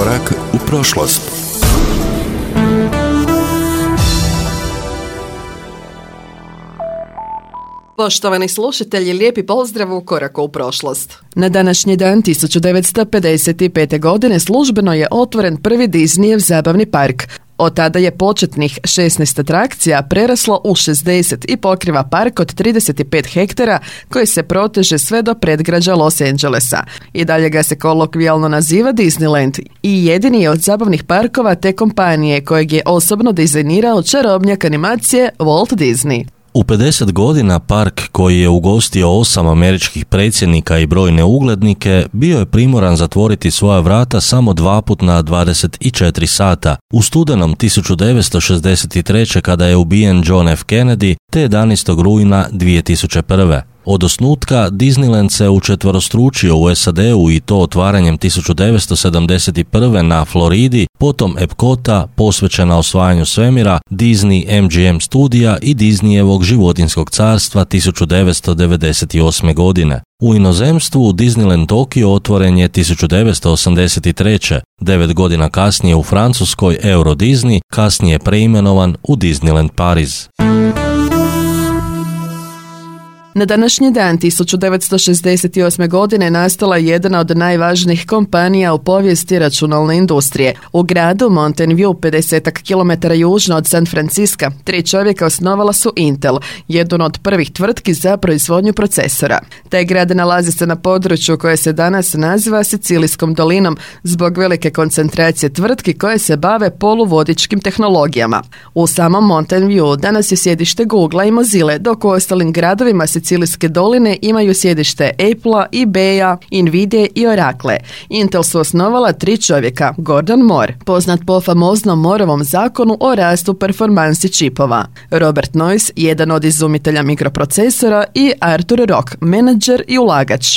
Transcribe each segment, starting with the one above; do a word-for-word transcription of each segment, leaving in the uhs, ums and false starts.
Korak u prošlost. Poštovani slušatelji, lijepi pozdrav u Koraku u prošlost. Na današnji dan tisuću devetsto pedeset pete. godine službeno je otvoren prvi Disneyev zabavni park. Od tada je početnih šesnaest atrakcija preraslo u šezdeset i pokriva park od trideset pet hektara koji se proteže sve do predgrađa Los Angelesa. I dalje ga se kolokvijalno naziva Disneyland i jedini je od zabavnih parkova te kompanije kojeg je osobno dizajnirao čarobnjak animacije Walt Disney. U pedeset godina park koji je ugostio osam američkih predsjednika i brojne uglednike bio je primoran zatvoriti svoja vrata samo dva put na dvadeset četiri sata. U studenom tisuću devetsto šezdeset treće. kada je ubijen John F. Kennedy te jedanaestog rujna dvije tisuće prve. Od osnutka Disneyland se učetverostručio u S A D-u i to otvaranjem tisuću devetsto sedamdeset prve. na Floridi, potom Epcota posvećena osvajanju svemira, Disney M G M studija i Disneyevog životinjskog carstva tisuću devetsto devedeset osme. godine. U inozemstvu Disneyland Tokio otvoren je tisuću devetsto osamdeset treće. Devet godina kasnije u Francuskoj Euro Disney, kasnije preimenovan u Disneyland Pariz. Na današnji dan tisuću devetsto šezdeset osme. godine nastala je jedna od najvažnijih kompanija u povijesti računalne industrije. U gradu Mountain View, pedeset kilometara južno od San Francisca, tri čovjeka osnovala su Intel, jednu od prvih tvrtki za proizvodnju procesora. Taj grad nalazi se na području koje se danas naziva Sicilijskom dolinom zbog velike koncentracije tvrtki koje se bave poluvodičkim tehnologijama. U samom Mountain View danas je sjedište Googlea i Mozille, dok u ostalim gradovima Sicilijske doline imaju sjedište Apple-a, eBay-a, Nvidia i Oracle. Intel su osnovala tri čovjeka, Gordon Moore, poznat po famoznom Mooreovom zakonu o rastu performansi čipova, Robert Noyce, jedan od izumitelja mikroprocesora i Arthur Rock, menadžer i ulagač.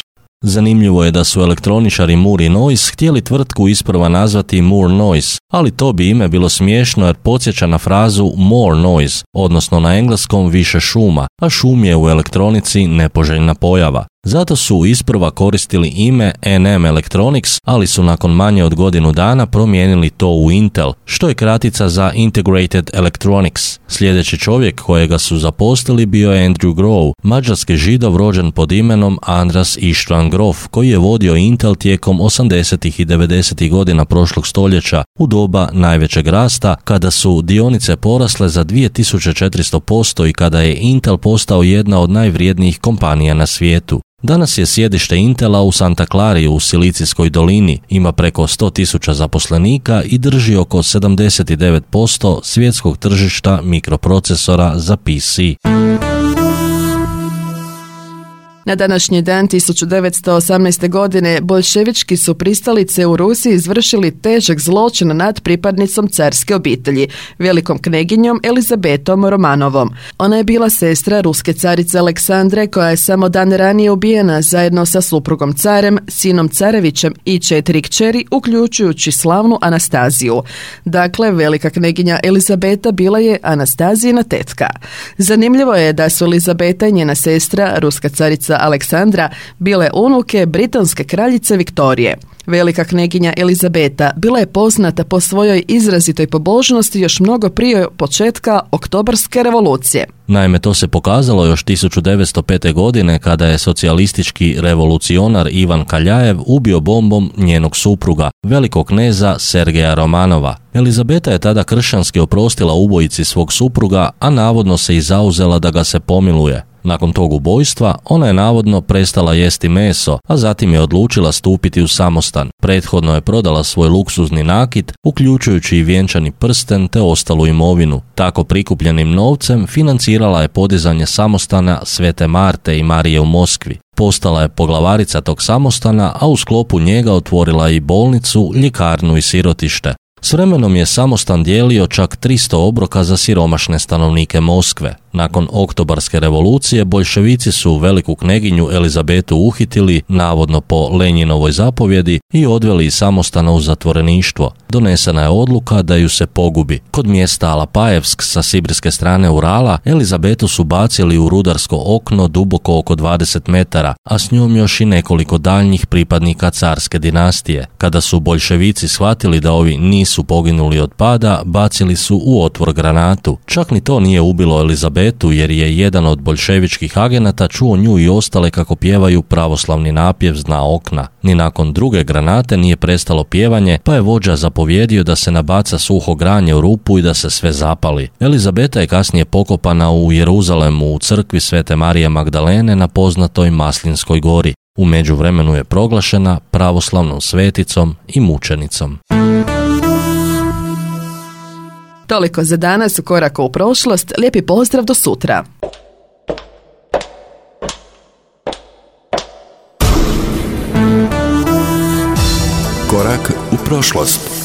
Zanimljivo je da su elektroničari Moore i Noyce htjeli tvrtku isprva nazvati Moore Noise, ali to bi ime bilo smiješno jer podsjeća na frazu more noise, odnosno na engleskom više šuma, a šum je u elektronici nepoželjna pojava. Zato su isprva koristili ime N M Electronics, ali su nakon manje od godinu dana promijenili to u Intel, što je kratica za Integrated Electronics. Sljedeći čovjek kojega su zaposlili bio je Andrew Grove, mađarski Židov rođen pod imenom Andras Istvan Grof, koji je vodio Intel tijekom osamdesetih i devedesetih godina prošlog stoljeća u doba najvećeg rasta, kada su dionice porasle za dvije tisuće četiristo posto i kada je Intel postao jedna od najvrijednijih kompanija na svijetu. Danas je sjedište Intela u Santa Clari u Silicijskoj dolini, ima preko sto tisuća zaposlenika i drži oko sedamdeset devet posto svjetskog tržišta mikroprocesora za P C. Na današnji dan tisuću devetsto osamnaeste. godine boljševički su pristalice u Rusiji izvršili težak zločin nad pripadnicom carske obitelji, velikom kneginjom Elizabetom Romanovom. Ona je bila sestra ruske carice Aleksandre koja je samo dan ranije ubijena zajedno sa suprugom carem, sinom carevićem i četiri kćeri, uključujući slavnu Anastaziju. Dakle, velika kneginja Elizabeta bila je Anastazijina tetka. Zanimljivo je da su Elizabeta i njena sestra, ruska carica Aleksandra, bile unuke britanske kraljice Viktorije. Velika kneginja Elizabeta bila je poznata po svojoj izrazitoj pobožnosti još mnogo prije početka Oktobarske revolucije. Naime, to se pokazalo još tisuću devetsto pete. godine kada je socijalistički revolucionar Ivan Kaljajev ubio bombom njenog supruga, velikog kneza Sergeja Romanova. Elizabeta je tada kršćanski oprostila ubojici svog supruga, a navodno se i zauzela da ga se pomiluje. Nakon tog ubojstva, ona je navodno prestala jesti meso, a zatim je odlučila stupiti u samostan. Prethodno je prodala svoj luksuzni nakit, uključujući i vjenčani prsten te ostalu imovinu. Tako prikupljenim novcem financirala je podizanje samostana Svete Marte i Marije u Moskvi. Postala je poglavarica tog samostana, a u sklopu njega otvorila i bolnicu, ljekarnu i sirotište. S vremenom je samostan dijelio čak tristo obroka za siromašne stanovnike Moskve. Nakon oktobarske revolucije boljševici su veliku kneginju Elizabetu uhitili, navodno po Lenjinovoj zapovjedi, i odveli iz samostana u zatvoreništvo. Donesena je odluka da ju se pogubi. Kod mjesta Alapajevsk sa sibirske strane Urala Elizabetu su bacili u rudarsko okno duboko oko dvadeset metara, a s njom još i nekoliko daljnjih pripadnika carske dinastije. Kada su boljševici shvatili da ovi nisu poginuli od pada, bacili su u otvor granatu. Čak ni to nije ubilo Elizabetu, jer je jedan od boljševičkih agenata čuo nju i ostale kako pjevaju pravoslavni napjev s dna okna. Ni nakon druge granate nije prestalo pjevanje, pa je vođa zapovjedio da se nabaca suho granje u rupu i da se sve zapali. Elizabeta je kasnije pokopana u Jeruzalemu u crkvi Svete Marije Magdalene na poznatoj Maslinskoj gori. U međuvremenu je proglašena pravoslavnom sveticom i mučenicom. Toliko za danas u Koraku u prošlost. Lijepi pozdrav do sutra. Korak u prošlost.